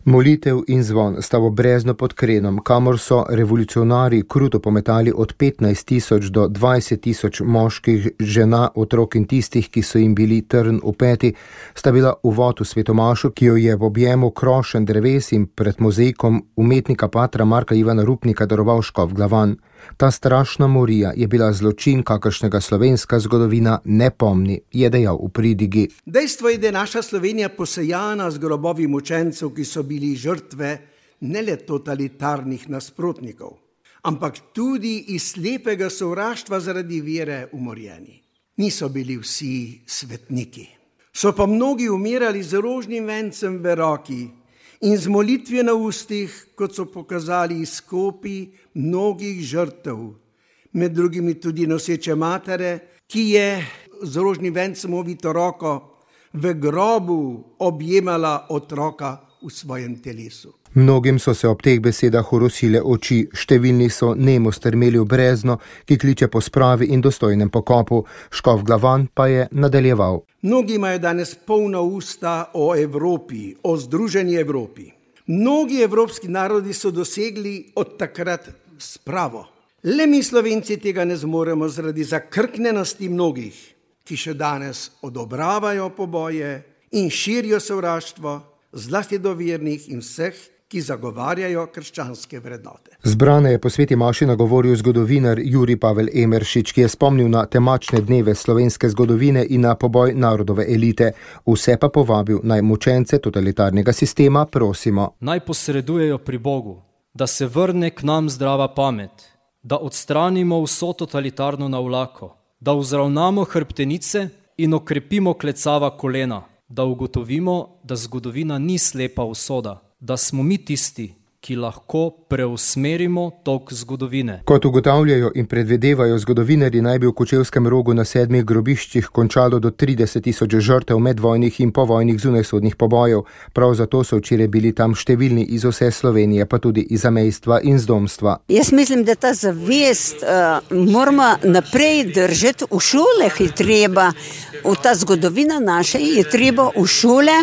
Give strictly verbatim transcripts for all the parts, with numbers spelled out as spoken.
Molitev in zvon sta v Brezno pod Krenom, kamor so revolucionarji kruto pometali od petnajst tisoč do dvajset tisoč moških, žena, otrok in tistih, ki so jim bili trn v peti, sta bila uvod v svetomašo, ki jo je v objemu krošen dreves in pred mozaikom umetnika patra Marka Ivana Rupnika daroval škof Glavan. Ta strašna morija je bila zločin, kakršnega slovenska zgodovina ne pomni, je dejal v pridigi. Dejstvo je, da je naša Slovenija posejana z grobovi mučencev, ki so bili žrtve ne le totalitarnih nasprotnikov, ampak tudi iz slepega sovraštva zaradi vere umorjeni. Niso bili vsi svetniki. So pa mnogi umirali z rožnim vencem v roki in z molitvijo na ustih, kot so pokazali izkopi mnogih žrtev, med drugimi tudi noseče matere, ki je z rožnim vencem ovito roko v grobu objemala otroka v svojem telesu. Mnogim so se ob teh besedah orosile oči, številni so nemo strmeli v Brezno, ki kliče po spravi in dostojnem pokopu. Škof Glavan pa je nadaljeval. Mnogi imajo danes polna usta o Evropi, o združeni Evropi. Mnogi evropski narodi so dosegli od takrat spravo. Le mi Slovenci tega ne zmoremo zaradi zakrknenosti mnogih, ki še danes odobravajo poboje in širijo sovraštvo, zlasti do vernih in vseh, ki zagovarjajo krščanske vrednote. Zbrane je po sveti maši nagovoril zgodovinar Jurij Pavel Emeršič, ki je spomnil na temačne dneve slovenske zgodovine in na poboj narodove elite. Vse pa povabil naj mučence totalitarnega sistema prosimo. Naj posredujejo pri Bogu, da se vrne k nam zdrava pamet, da odstranimo vso totalitarno navlako, da vzravnamo hrbtenice in okrepimo klecava kolena, da ugotovimo, da zgodovina ni slepa usoda, da smo mi tisti, ki lahko preusmerimo tok zgodovine. Kot ugotavljajo in predvedevajo zgodovinarji, naj bi v Kočevskem Rogu na sedmih grobiščih končalo do trideset tisoč žrtev medvojnih in povojnih zunajsodnih pobojev. Prav zato so včeraj bili tam številni iz vse Slovenije, pa tudi iz zamejstva in zdomstva. Jaz mislim, da ta zavest uh, moramo naprej držati. V šolah je treba, v ta zgodovina naša je treba v šole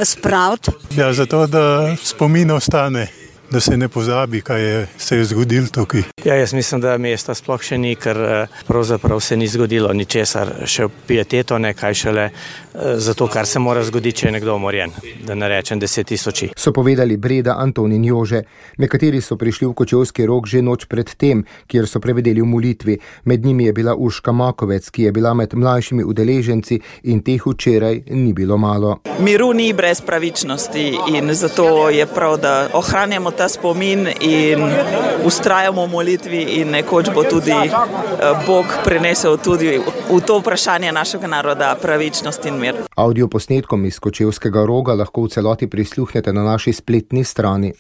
spraviti. Ja, zato, da spomin ostane, da se ne pozabi, kaj je se je zgodilo tukaj. Ja, jaz mislim, da mesta sploh še ni, ker pravzaprav se ni zgodilo ničesar, še pieteto ne, kaj šele zato, kar se mora zgoditi, če je nekdo umorjen, da ne rečem deset tisoči. So povedali Breda, Anton in Jože. Nekateri so prišli v Kočevski Rog že noč pred tem, kjer so prevedeli v molitvi. Med njimi je bila Urška Makovec, ki je bila med mlajšimi udeleženci in teh včeraj ni bilo malo. Miru ni brez pravičnosti in zato je prav, da ohranjamo ta spomin in ustrajamo v molitvi in nekoč bo tudi Bog prinesel tudi v to vprašanje našega naroda pravičnost in mir. Audio posnetkom iz Kočevskega Roga lahko v celoti prisluhnete na naši spletni strani.